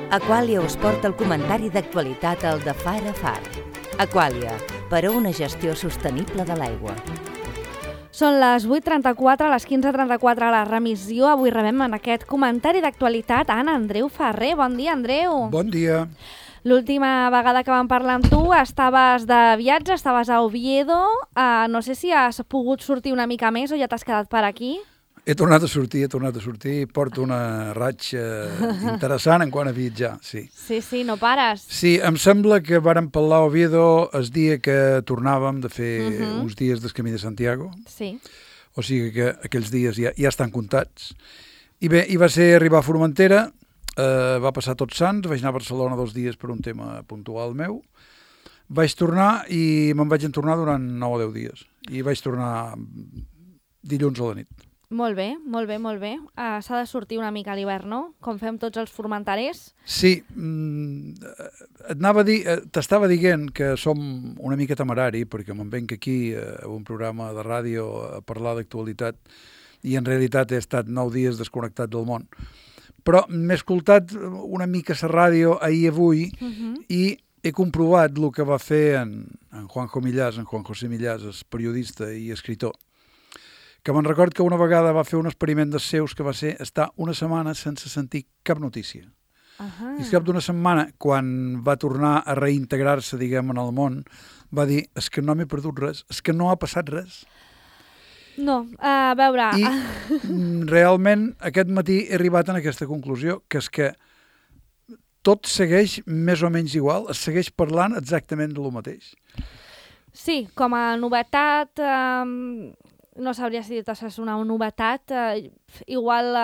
Aquàlia us porta el comentari d'actualitat al de Far a Far. Aquàlia, per a una gestió sostenible de l'aigua. Són les 8:34, a les 15:34 a la remissió. Avui rebem en aquest comentari d'actualitat a en Andreu Ferrer. Bon dia, Andreu. Bon dia. L'última vegada que vam parlar amb tu estaves de viatge, estaves a Oviedo. No sé si has pogut sortir una mica més o ja t'has quedat per aquí. He tornat a sortir i porto una ratxa interessant en quant a viatjar, sí. Sí, no pares. Sí, em sembla que vàrem parlar a Oviedo el dia que tornàvem de fer uns dies del Camí de Santiago. Sí. O sigui que aquells dies ja estan comptats. I bé, va ser arribar a Formentera, va passar Tots Sants, vaig anar a Barcelona 2 dies per un tema puntual meu, vaig tornar i me'n vaig entornar durant 9 o 10 dies. I vaig tornar dilluns a la nit. Molt bé. S'ha de sortir una mica a l'hivern, no? Com fem tots els formenterers. Sí, t'estava dient que som una mica temerari perquè me'n venc aquí a un programa de ràdio a parlar d'actualitat i en realitat he estat 9 dies desconnectat del món. Però m'he escoltat una mica la ràdio ahir i he comprovat el que va fer en Juan José Millàs, el periodista i escritor, que me'n record que una vegada va fer un experiment dels seus que va ser estar una setmana sense sentir cap notícia. I al cap d'una setmana, quan va tornar a reintegrar-se, diguem, en el món, va dir, és que no m'he perdut res, és que no ha passat res. No, a veure... I realment aquest matí he arribat a aquesta conclusió, que és que tot segueix més o menys igual, es segueix parlant exactament de lo mateix. Sí, com a novetat... no sabria si és una novetat, igual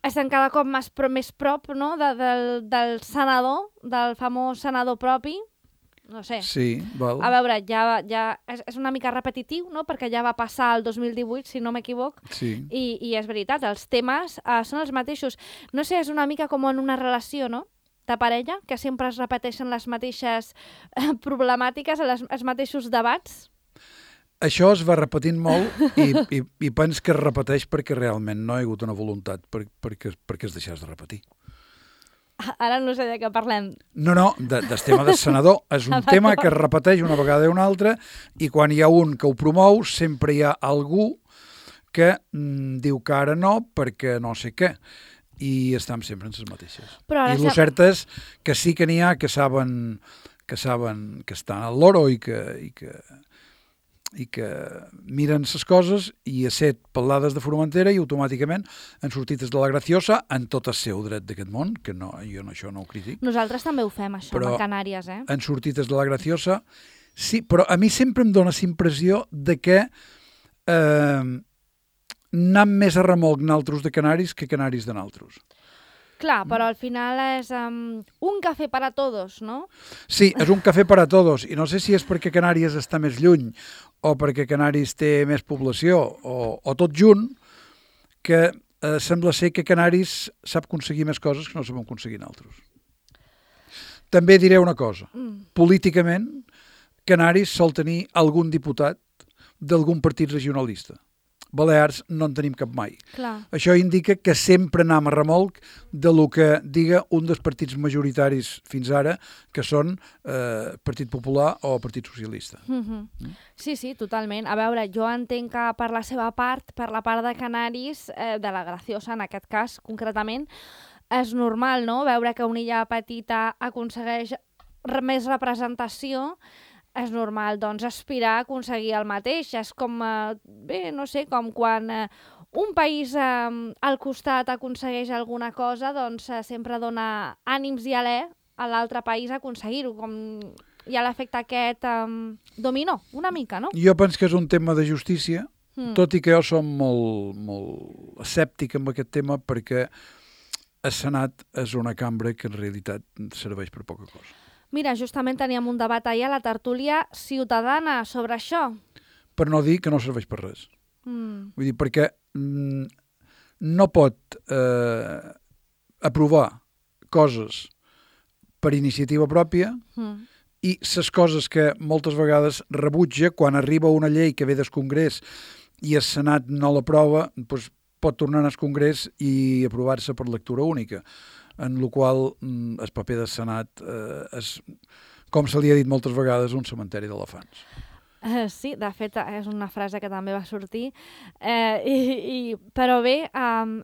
estem cada cop més prop, no? del senador, del famós senador propi, no sé. Sí, val. A veure, ja és una mica repetitiu, no? Perquè ja va passar el 2018, si no m'equivoc, sí. I és veritat, els temes són els mateixos. No sé, és una mica com en una relació, no?, de parella, que sempre es repeteixen les mateixes problemàtiques, els mateixos debats. Això es va repetint molt i pens que es repeteix perquè realment no hi ha hagut una voluntat perquè es deixés de repetir. Ara no sé de què parlem. No, del tema del senador. És un tema que es repeteix una vegada i una altra i quan hi ha un que ho promou sempre hi ha algú que diu que ara no perquè no sé què. I estem sempre en les mateixes. I el cert és que sí que n'hi ha que saben que estan al loro i que miren les coses i a set parlades de Formentera i automàticament han sortit de la Graciosa en tot el seu dret d'aquest món, que no, jo això no ho critico. Nosaltres també ho fem, això, a Canàries, Han sortit de la Graciosa, sí, però a mi sempre em dóna la impressió de que anem més a remolc naltros de Canaris que Canaris de naltros. Clar, però al final és un cafè per a tots, no? Sí, és un cafè per a tots, i no sé si és perquè Canàries està més lluny o perquè Canaris té més població o tot junt, que sembla ser que Canaris sap aconseguir més coses que no sabem aconseguir nosaltres. També diré una cosa. Políticament, Canaris sol tenir algun diputat d'algun partit regionalista. Balears no en tenim cap mai. Clar. Això indica que sempre anem a remolc de lo que diga un dels partits majoritaris fins ara, que són Partit Popular o Partit Socialista. Sí, totalment. A veure, jo entenc que per la seva part, per la part de Canaris, de la Graciosa en aquest cas concretament, és normal, no?, veure que una illa petita aconsegueix més representació. És normal, doncs, aspirar a aconseguir el mateix. És com, no sé, com quan un país al costat aconsegueix alguna cosa, doncs sempre dona ànims i alè a l'altre país a aconseguir-ho, com hi ha l'efecte aquest dominó, una mica, no? Jo penso que és un tema de justícia, tot i que jo som molt escèptic amb aquest tema perquè el Senat és una cambra que en realitat serveix per poca cosa. Mira, justament teníem un debat ahir a la tertúlia ciutadana sobre això. Per no dir que no serveix per res. Vull dir, perquè no pot aprovar coses per iniciativa pròpia i les coses que moltes vegades rebutja quan arriba una llei que ve del Congrés i el Senat no l'aprova, doncs pot tornar al Congrés i aprovar-se per lectura única. en el qual el paper del Senat és, com se li ha dit moltes vegades, un cementeri d'elefants. Sí, de fet, és una frase que també va sortir. Però bé,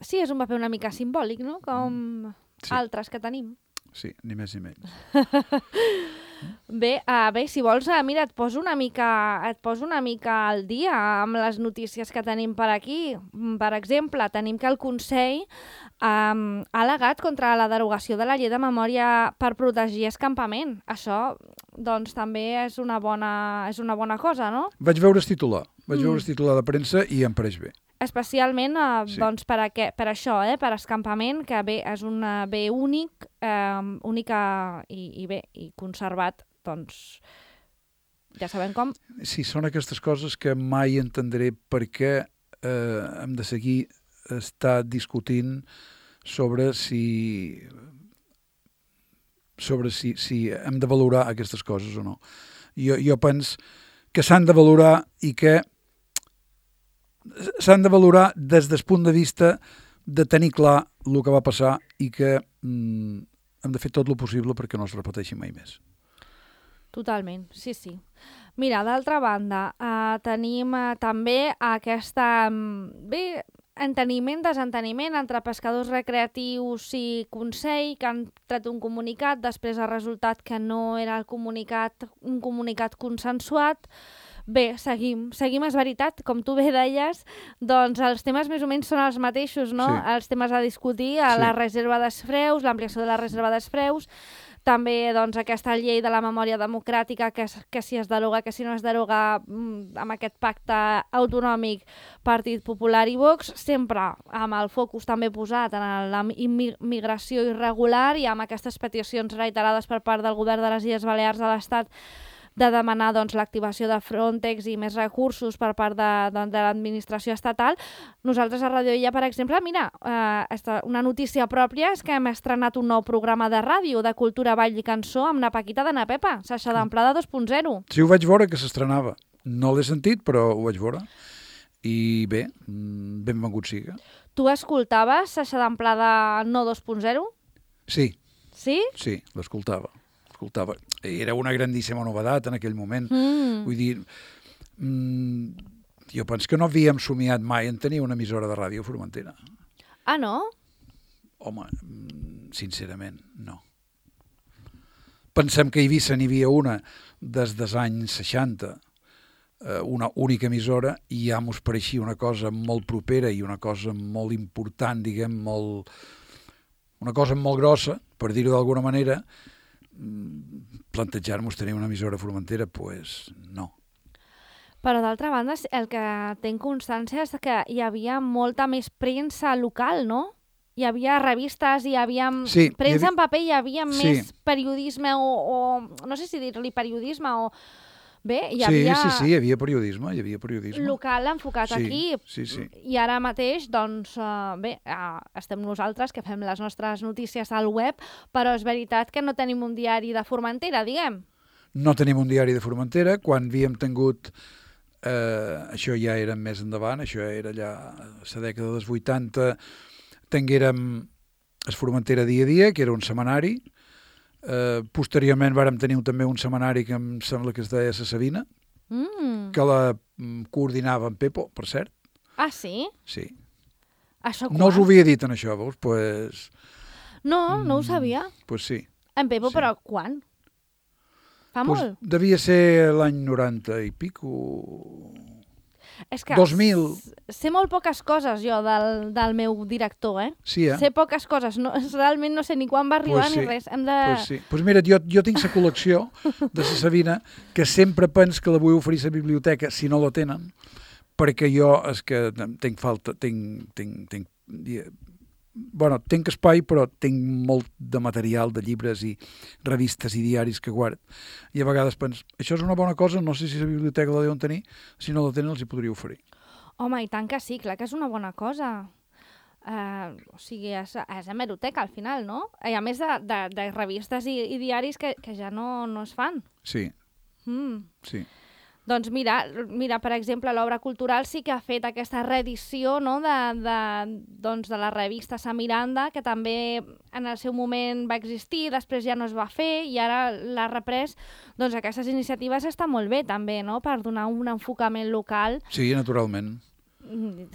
sí, és un paper una mica simbòlic, no? Com altres que tenim. Sí, ni més ni menys. Bé, si vols, mira, et poso una mica al dia amb les notícies que tenim per aquí. Per exemple, tenim que el Consell ha al·legat contra la derogació de la llei de memòria per protegir escampament. Això, doncs, també és una bona cosa, no? Vaig veure el titular de premsa i em pareix bé. Especialment doncs, per això, per escampament, que bé, és un bé únic i conservat, doncs, ja sabem com. Sí, són aquestes coses que mai entendré per què hem de seguir estar discutint sobre si hem de valorar aquestes coses o no. Jo penso que s'han de valorar i que s'han de valorar des del punt de vista de tenir clar el que va passar i que hem de fer tot el possible perquè no es repeteixi mai més. Totalment, sí. Mira, d'altra banda, tenim també aquesta... desenteniment entre pescadors recreatius i Consell, que han tret un comunicat, després ha resultat que no era un comunicat consensuat. Bé, seguim, és veritat, com tu bé deies, doncs els temes més o menys són els mateixos, no? Sí. Els temes a discutir, la reserva dels freus, l'ampliació de la reserva dels freus, també doncs, aquesta llei de la memòria democràtica que si es deroga, que si no es deroga amb aquest pacte autonòmic Partit Popular i Vox, sempre amb el focus també posat en la immigració irregular i amb aquestes peticions reiterades per part del govern de les Illes Balears a l'Estat de demanar doncs, l'activació de Frontex i més recursos per part de l'administració estatal. Nosaltres a Radio Illa, per exemple, mira, una notícia pròpia és que hem estrenat un nou programa de ràdio de cultura, ball i cançó amb na Paquita de na Pepa, Saixa d'Amplada 2.0. Sí, ho vaig veure que s'estrenava. No l'he sentit, però ho vaig veure. I bé, benvingut siga. Tu escoltaves Saixa d'Amplada no 2.0? Sí. Sí? Sí, l'escoltava. Era una grandíssima novedat en aquell moment. Vull dir, jo penso que no havíem somiat mai en tenir una emissora de ràdio a Formentera. Ah, no? Home, sincerament, no. Pensem que a Eivissa n'hi havia una des dels anys 60, una única emissora, i ja mos pareixia una cosa molt propera i una cosa molt important, diguem, una cosa molt grossa, per dir-ho d'alguna manera. Plantejar-nos tenir una emissora a Formentera, doncs no. Però d'altra banda, el que tinc constància és que hi havia molta més premsa local, no? Hi havia revistes, hi havia premsa en paper, hi havia més periodisme o no sé si dir-li periodisme o... Bé, hi havia... Sí, hi havia periodisme. Local enfocat aquí. Sí. I ara mateix, doncs, estem nosaltres que fem les nostres notícies al web, però és veritat que no tenim un diari de Formentera, diguem. No tenim un diari de Formentera. Quan havíem tingut... això ja era més endavant, això era allà a la dècada dels 80, tinguérem el Formentera dia a dia, que era un setmanari. Posteriorment vàrem tenir també un setmanari que em sembla que es deia La Sabina, que la coordinava en Pepo, per cert. Ah, sí? Sí. Això quan? No us ho havia dit en això, veus? Pues... No ho sabia. Pues sí. En Pepo, sí. Però quan? Fa molt? Devia ser l'any 90 i pico... És que 2000. Sé molt poques coses jo del meu director, Sí, Sé poques coses, realment no sé ni quan va arribar ni res. Pues mira, jo tinc la col·lecció de la Sabina, que sempre penso que la vull oferir a la biblioteca si no la tenen, perquè jo és que tinc falta, tinc espai, però tinc molt de material, de llibres i revistes i diaris que guard. I a vegades penso, això és una bona cosa, no sé si la biblioteca la deuen tenir, si no la tenen els hi podria oferir. Home, i tant que sí, clar que és una bona cosa. O sigui, és hemeroteca al final, no? I a més de revistes i diaris que ja no es fan. Sí. Sí. Doncs mira, per exemple, l'Obra Cultural sí que ha fet aquesta reedició, no?, de la revista Sa Miranda, que també en el seu moment va existir, després ja no es va fer i ara l'ha reprès. Doncs aquestes iniciatives estan molt bé també, no?, per donar un enfocament local. Sí, naturalment.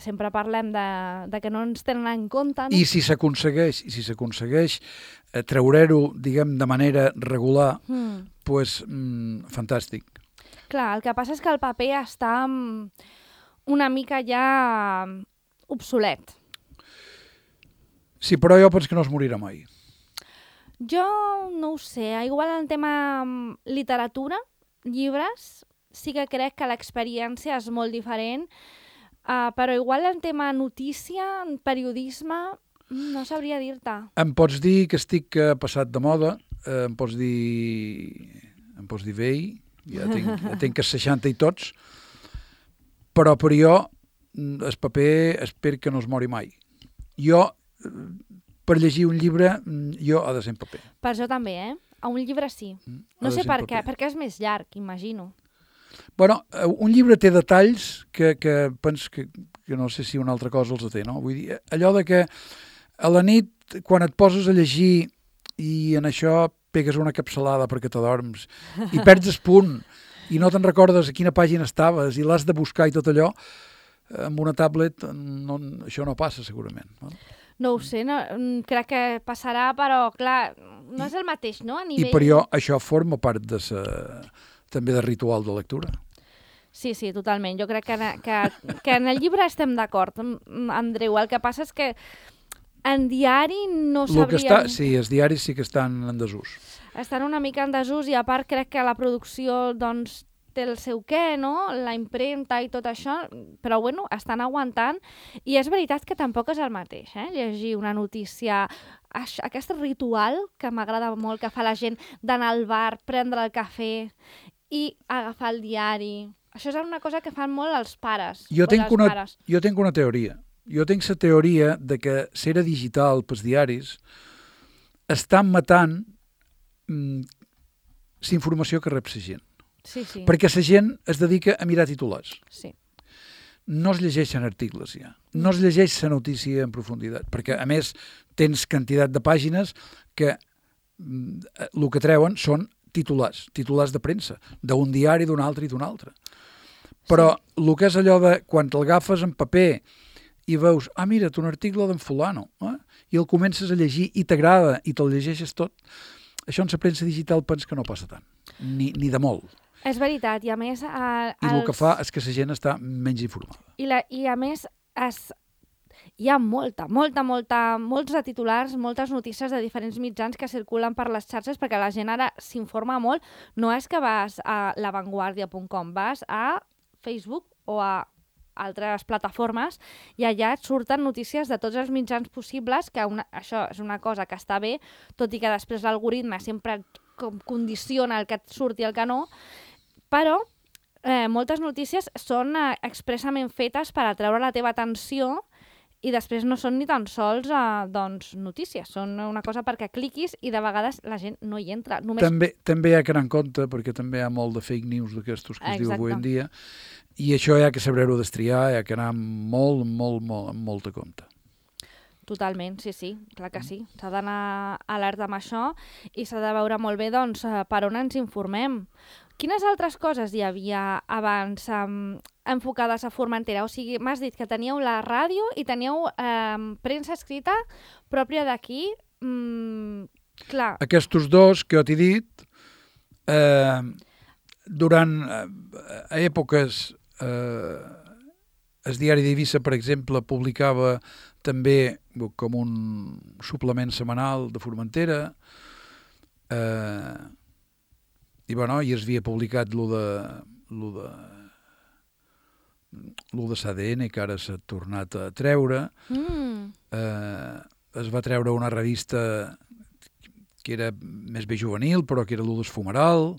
Sempre parlem de que no ens tenen en compte, no? I si s'aconsegueix treure-ho, diguem, de manera regular, doncs fantàstic. Clar, el que passa és que el paper està una mica ja obsolet. Sí, però jo penso que no es morirà mai. Jo no ho sé, igual en tema literatura, llibres, sí que crec que l'experiència és molt diferent, però igual en tema notícia, periodisme, no sabria dir-te. Em pots dir que estic passat de moda, em pots dir vell, ja tinc 60 i tots, però per jo el paper espero que no es mori mai. Jo, per llegir un llibre, jo ha de ser en paper. Per jo també, A un llibre sí. No sé per què, perquè és més llarg, imagino. Bueno, un llibre té detalls que penso que no sé si una altra cosa els té, no? Vull dir, allò de que a la nit, quan et poses a llegir i en això pegues una capçalada perquè t'adorms i perds el punt i no te'n recordes a quina pàgina estaves i l'has de buscar i tot allò, amb una tablet això no passa segurament. No ho sé, crec que passarà, però clar, no és el mateix, no? I per jo això forma part també del ritual de lectura. Sí, totalment. Jo crec que en el llibre estem d'acord, Andreu. El que passa és que en diari no sabríem... Sí, els diaris sí que estan en desús. Estan una mica en desús i a part crec que la producció doncs, té el seu què, no? La impremta i tot això, però bueno, estan aguantant i és veritat que tampoc és el mateix, llegir una notícia, aquest ritual que m'agrada molt que fa la gent d'anar al bar, prendre el cafè i agafar el diari. Això és una cosa que fan molt els pares. Jo tinc una teoria. Jo tinc la teoria de que l'era digital pels diaris estan matant la informació que rep la gent. Sí. Perquè la gent es dedica a mirar titulars. Sí. No es llegeixen articles ja. No es llegeix la notícia en profunditat. Perquè, a més, tens quantitat de pàgines que el que treuen són titulars de premsa, d'un diari, d'un altre i d'un altre. Però el que és allò de quan t'agafes en paper i veus, mira't, un article d'en fulano, i el comences a llegir i t'agrada i te'l llegeixes tot, això en la premsa digital penso que no passa tant, ni de molt. És veritat, i a més... I el que fa és que la gent està menys informada. I a més, hi ha molts de titulars, moltes notícies de diferents mitjans que circulen per les xarxes perquè la gent ara s'informa molt. No és que vas a lavanguardia.com, vas a Facebook o a altres plataformes i allà et surten notícies de tots els mitjans possibles, que això és una cosa que està bé, tot i que després l'algoritme sempre condiciona el que et surt i el que no, però moltes notícies són expressament fetes per atreure la teva atenció i després no són ni tan sols notícies, són una cosa perquè cliquis i de vegades la gent no hi entra. També hi ha que anar en compte, perquè també hi ha molt de fake news d'aquestos que es diu avui en dia, i això hi ha que saber-ho destriar, hi ha que anar molt a compte. Totalment, sí, clar que sí. S'ha d'anar alerta amb això i s'ha de veure molt bé doncs, per on ens informem. Quines altres coses hi havia abans enfocades a Formentera? O sigui, m'has dit que teníeu la ràdio i teníeu premsa escrita pròpia d'aquí. Clar. Aquests dos que jo t'he dit, durant èpoques, el diari d'Eivissa, per exemple, publicava també com un suplement setmanal de Formentera, i es havia publicat lo de s'ADN, que ara s'ha tornat a treure. Es va treure una revista que era més bé juvenil, però que era lo d'Esfumeral.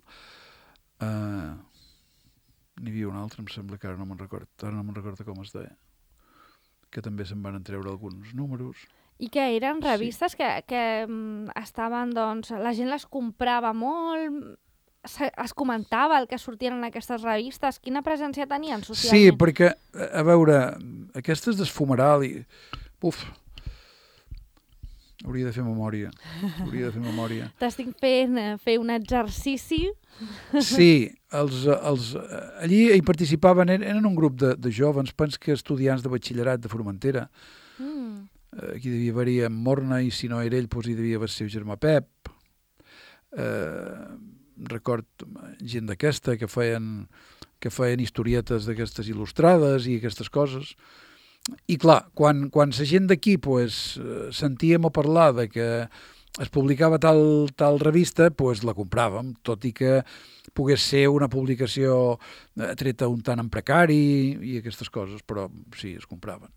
N'hi havia una altra, em sembla que ara no me'n recordo com es deia, que també se'n van treure alguns números. I que eren revistes que estaven, doncs, la gent les comprava molt, es comentava el que sortien en aquestes revistes? Quina presència tenien socialment? Sí, perquè, a veure, aquestes d'esfumeral i... Uf, hauria de fer memòria. T'estic fent fer un exercici. Sí, allí hi participaven, eren un grup de jovens, penso que estudiants de batxillerat de Formentera. Aquí devia haver-hi en Morna, i si no era ell, doncs hi devia haver el seu germà Pep. Record gent d'aquesta que feien historietes d'aquestes il·lustrades i aquestes coses. I clar, quan la gent d'aquí sentíem a parlar de que es publicava tal revista, la compràvem, tot i que pogués ser una publicació treta un tant en precari i aquestes coses, però sí, es compraven.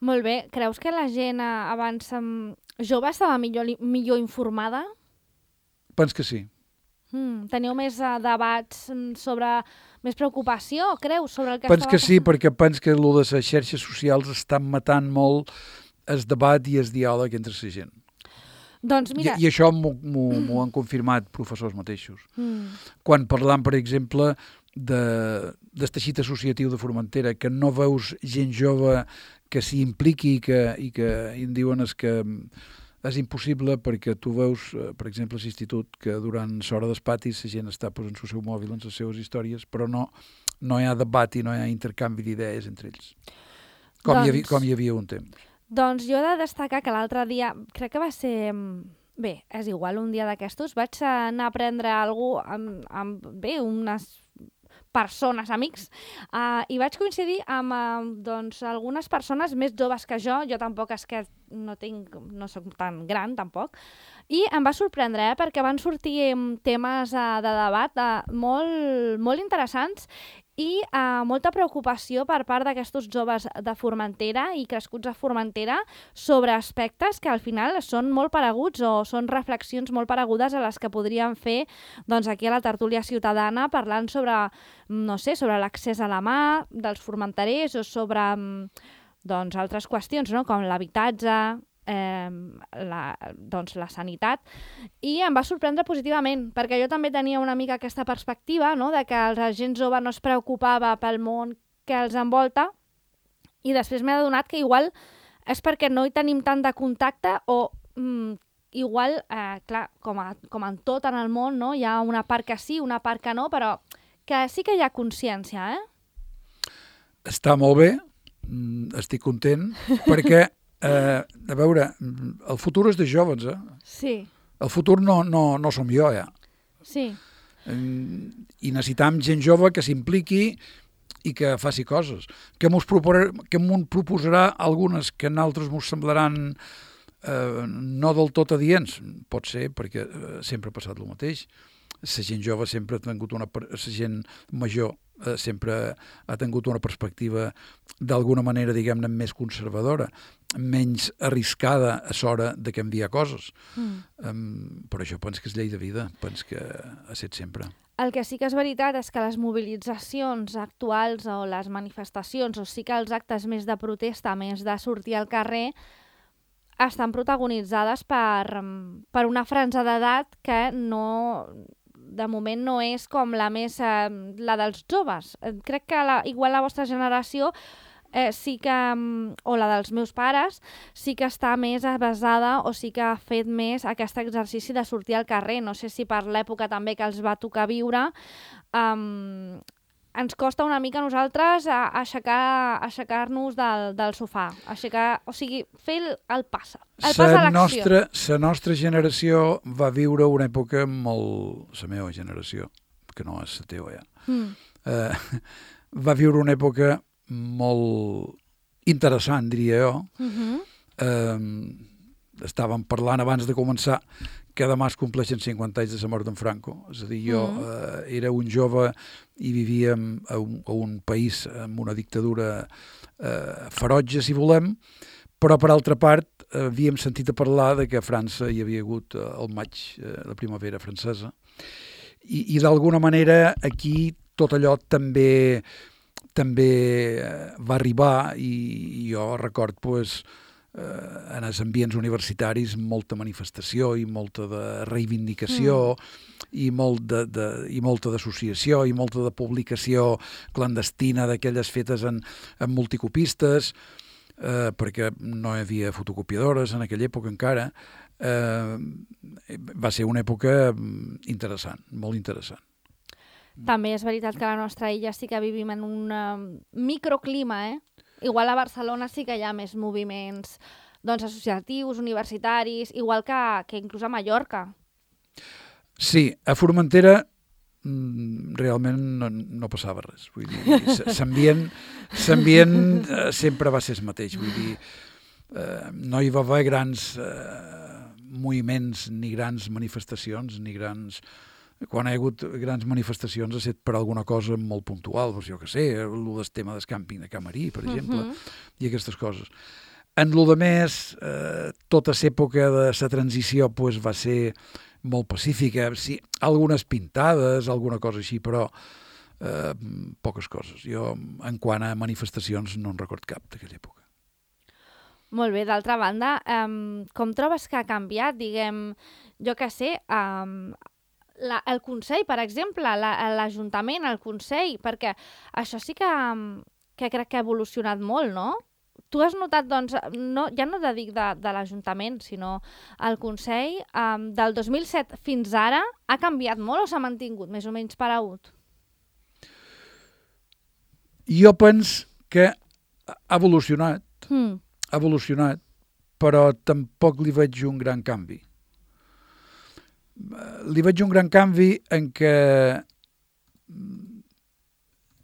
Molt bé. Creus que la gent abans jove estava millor informada? Penso que sí. Teniu més debats sobre... més preocupació, creus, sobre el que penso que sí, perquè penso que el de les xarxes socials estan matant molt el debat i el diàleg entre la gent. Doncs mira... I això m'ho han confirmat professors mateixos. Quan parlam, per exemple, del teixit associatiu de Formentera, que no veus gent jove que s'hi impliqui i que em diuen que és impossible, perquè tu veus, per exemple, a l'institut, que durant l'hora dels patis la gent està posant el seu mòbil en les seves històries, però no hi ha debat i no hi ha intercanvi d'idees entre ells, com hi havia un temps. Doncs jo he de destacar que l'altre dia, crec que va ser... Bé, és igual, un dia d'aquestos vaig anar a prendre alguna cosa amb unes persones, amics, i vaig coincidir amb algunes persones més joves que jo tampoc és que no soc tan gran, tampoc, i em va sorprendre, perquè van sortir temes de debat molt, molt interessants i molta preocupació per part d'aquests joves de Formentera i crescuts a Formentera sobre aspectes que al final són molt pareguts o són reflexions molt paregudes a les que podríem fer aquí a la tertúlia ciutadana, parlant sobre, no sé, sobre l'accés a la mà dels formenterers o sobre altres qüestions, no? Com l'habitatge, la sanitat, i em va sorprendre positivament, perquè jo també tenia una mica aquesta perspectiva, no? De que la gent jove no es preocupava pel món que els envolta, i després m'he adonat que igual és perquè no hi tenim tant de contacte o igual, clar, com en tot en el món, no? Hi ha una part que sí, una part que no, però que sí que hi ha consciència, Està molt bé, estic content, perquè a veure, el futur és de joves, Sí. El futur no som jo, ja. Sí. I necessitam gent jove que s'impliqui i que faci coses. Que m'ho proposarà algunes que en altres m'ho semblaran no del tot adients. Pot ser, perquè sempre ha passat el mateix. La gent jove sempre ha tingut la gent major sempre ha tingut una perspectiva d'alguna manera, diguem-ne, més conservadora, menys arriscada a l'hora de canviar coses. Però això penso que és llei de vida, penso que ha estat sempre. El que sí que és veritat és que les mobilitzacions actuals o les manifestacions, o sí que els actes més de protesta, més de sortir al carrer, estan protagonitzades per una franja d'edat que de moment no és com la la dels joves. Crec que igual la vostra generació sí que, o la dels meus pares, sí que està més basada o sí que ha fet més aquest exercici de sortir al carrer. No sé si per l'època també que els va tocar viure, ens costa una mica a nosaltres aixecar-nos del sofà, o sigui, fer el pas a l'acció. La nostra generació va viure una època molt... La meva generació, que no és la teva ja, va viure una època molt interessant, diria jo. Estàvem parlant abans de començar que demà es compleixen 50 anys de la mort d'en Franco. És a dir, jo era un jove i vivíem a un país amb una dictadura ferotge, si volem, però per altra part havíem sentit a parlar de que a França hi havia hagut el maig, la primavera francesa, i d'alguna manera aquí tot allò també va arribar, i jo record en els ambients universitaris molta manifestació i molta de reivindicació i molta d'associació i molta de publicació clandestina d'aquelles fetes en multicopistes, perquè no hi havia fotocopiadores en aquella època encara. Va ser una època interessant, molt interessant. També és veritat que a la nostra illa sí que vivim en un microclima, Igual a Barcelona sí que hi ha més moviments associatius, universitaris, igual que inclús a Mallorca. Sí, a Formentera realment no passava res. Vull dir, l'ambient sempre va ser el mateix. Vull dir, no hi va haver grans moviments, ni grans manifestacions, ni grans... Quan hi ha hagut grans manifestacions ha estat per alguna cosa molt puntual, doncs jo què sé, el tema del càmping de Camarí, per exemple, i aquestes coses. En lo de més, tota l'època de la transició va ser molt pacífica, sí, algunes pintades, alguna cosa així, però poques coses. Jo, en quant a manifestacions, no en record cap d'aquella època. Molt bé, d'altra banda, com trobes que ha canviat, diguem, jo què sé, el Consell, per exemple, l'Ajuntament, el Consell, perquè això sí que crec que ha evolucionat molt, no? Tu has notat, doncs, ja no dic de l'Ajuntament, sinó el Consell, del 2007 fins ara, ha canviat molt o s'ha mantingut més o menys paregut? Jo penso que ha evolucionat, però tampoc li veig un gran canvi. Li veig un gran canvi en què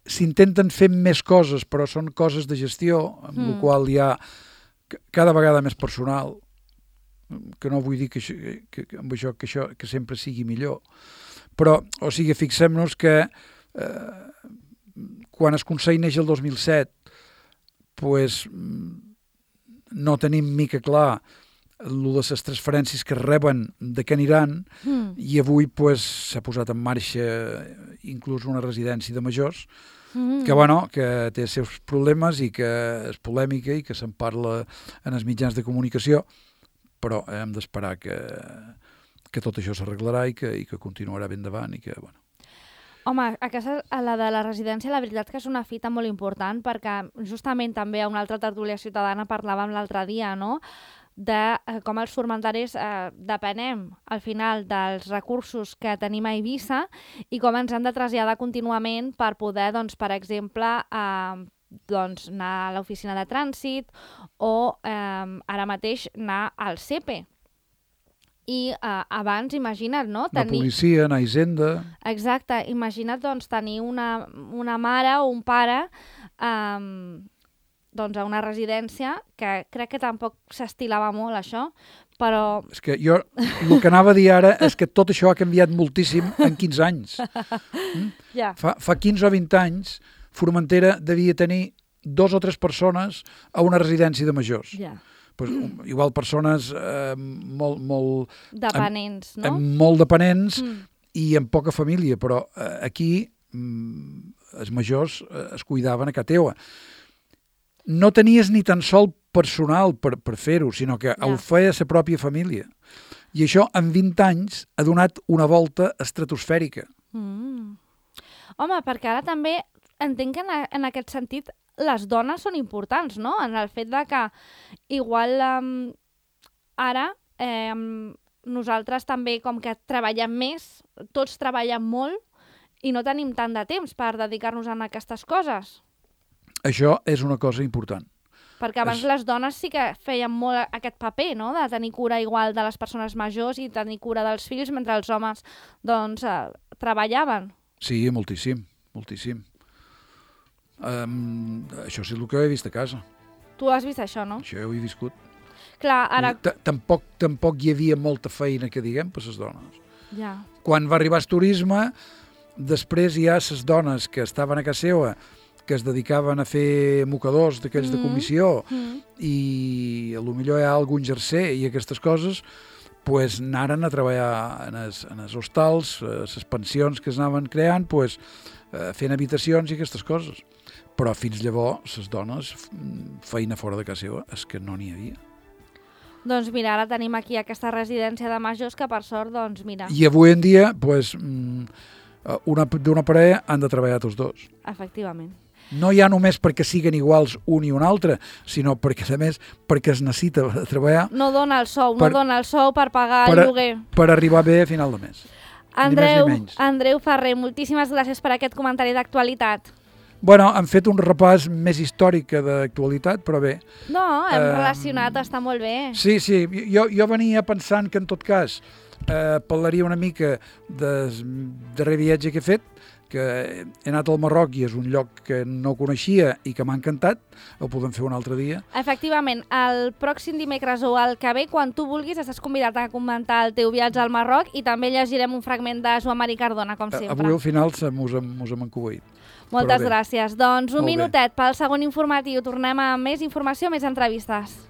s'intenten fer més coses, però són coses de gestió, amb la qual hi ha cada vegada més personal, que no vull dir que sempre sigui millor, però, o sigui, fixem-nos que quan el Consell neix el 2007, no tenim mica clar el de les transferències que reben de què aniran, i avui s'ha posat en marxa inclús una residència de majors, que té els seus problemes i que és polèmica i que se'n parla en els mitjans de comunicació, però hem d'esperar que tot això s'arreglarà i que continuarà ben davant i que, bueno. Home, la de la residència, la veritat que és una fita molt important, perquè justament també a una altra tertúlia ciutadana parlàvem l'altre dia, no?, de com els formentaris depenem al final dels recursos que tenim a Eivissa i com ens han de traslladar contínuament per poder, doncs, per exemple, anar a l'oficina de trànsit o ara mateix anar al CEPE. I abans, imagina't, no? La policia, anar a Hisenda... Exacte, imagina't, doncs, tenir una mare o un pare a una residència, que crec que tampoc s'estilava molt, això, però... És que jo, el que anava a dir ara és que tot això ha canviat moltíssim en 15 anys. Fa 15 o 20 anys, Formentera devia tenir 2 o 3 persones a una residència de majors. Igual persones molt... dependents, no? Molt dependents i amb poca família, però aquí els majors es cuidaven a casa teva. No tenies ni tan sol personal per fer-ho, sinó que ho feia la pròpia família. I això, en 20 anys, ha donat una volta estratosfèrica. Home, perquè ara també entenc que en aquest sentit les dones són importants, no? En el fet de que igual ara nosaltres també com que treballem més, tots treballem molt i no tenim tant de temps per dedicar-nos a aquestes coses. Això és una cosa important. Perquè abans les dones sí que feien molt aquest paper, no?, de tenir cura igual de les persones majors i tenir cura dels fills, mentre els homes, doncs, treballaven. Sí, moltíssim, moltíssim. Això és el que he vist a casa. Tu has vist això, no? Això ho he viscut. Clar, ara... Tampoc hi havia molta feina, que diguem, per les dones. Ja. Quan va arribar el turisme, després hi ha les dones que estaven a casa seva, que es dedicaven a fer mocadors d'aquells de comissió i potser hi ha algun jerser i aquestes coses, anaren a treballar en els hostals, les pensions que es anaven creant, fent habitacions i aquestes coses. Però fins llavors, les dones, feina fora de casa seva, és que no n'hi havia. Doncs mira, ara tenim aquí aquesta residència de majors que per sort, doncs mira. I avui en dia, d'una parella han de treballar tots dos. Efectivament. No ja només perquè siguen iguals un i un altre, sinó perquè, a més, perquè es necessita treballar. No dona el sou, no dona el sou per pagar el lloguer. Per arribar bé a final de mes. Andreu Ferrer, moltíssimes gràcies per aquest comentari d'actualitat. Bueno, hem fet un repàs més històric que d'actualitat, però bé. No, hem relacionat, està molt bé. Sí, jo venia pensant que en tot cas parlaria una mica del darrer viatge que he fet, que he anat al Marroc i és un lloc que no coneixia i que m'ha encantat, ho podem fer un altre dia. Efectivament, el pròxim dimecres o el que ve, quan tu vulguis, estàs convidat a comentar el teu viatge al Marroc i també llegirem un fragment de Joan Marí Cardona, com sempre. Avui al final mos hem encubeït. Moltes gràcies. Doncs un minutet pel segon informatiu. Tornem amb més informació, més entrevistes.